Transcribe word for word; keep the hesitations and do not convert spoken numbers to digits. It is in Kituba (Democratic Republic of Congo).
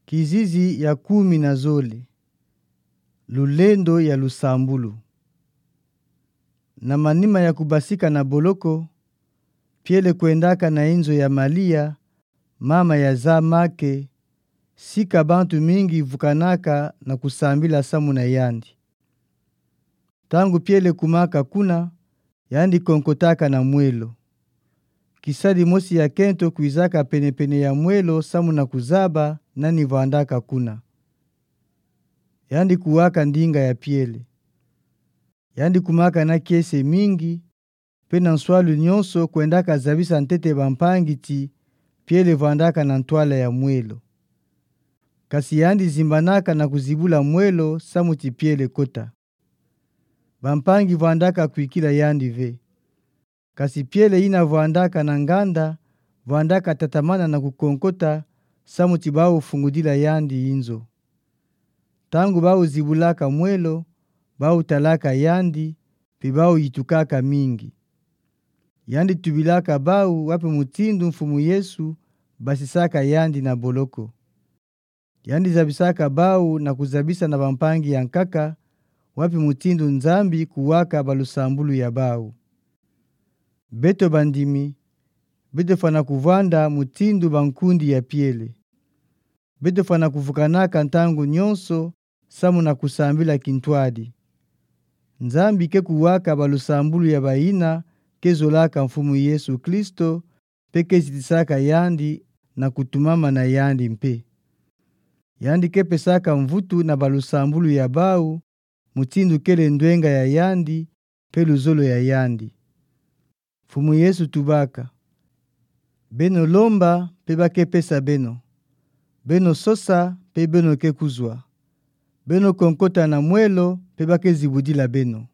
Kizizi ya kumi na zole. Lulendo ya lusambulu. Na manima ya kubasika na boloko, Piele kwendaka na inzo ya Malia, mama ya za Make, sika bantu mingi vukanaka na kusambila samu na yandi. Ntangu Piele kumaka kuna, yandi konkotaka na mwelo. Kisadi mosi ya kento kwizaka pene-pene ya mwelo samu na kuzaba nani vwandaka kuna. Yandi kuwaka ndinga ya Piele. Yandi kumaka na kiese mingi, mpe na nswalu nyonso kwendaka zabisa ntete bampangi ti Piele vwandaka na ntwala ya mwelo. Kasi yandi zimbanaka na kuzibula mwelo samu ti Piele kota. Bampangi vwandaka kwikila yandi ve. Kasi Piele yina vwandaka na nganda, vwandaka tatamana na kukonkota, samu ti bawu fungudila yandi inzo. Ntangu bawu zibulaka mwelo, bawu talaka yandi, mpe bawu yitukaka mingi. Yandi tubilaka bawu wapi mutindu Mfumu Yesu basisaka yandi na boloko. Yandi zabisaka bawu na kuzabisa na bampangi ya nkaka, wapi mutindu Nzambi kuwaka balusambulu ya bawu. Beto bandimi, beto fwana kuvwanda mutindu bankundi ya Piele. Beto fwana kuvukanaka ntangu nyonso, samu na kusambila kintwadi. Nzambi ke kuwaka balusambulu ya bayina ke zolaka Mfumu Yesu Kristo, mpe ke zitisaka yandi na kutumama na yandi mpe. Yandi ke pesaka mvutu na balusambulu ya bawu, mutindu kele ndwenga ya yandi, mpe luzolo ya yandi. Mfumu Yesu tubaka: Beno lomba, mpe ba ke pesa beno. Beno sosa, mpe beno ke kuzwa. Beno konkota na mwelo, mpe ba ke zibudila beno.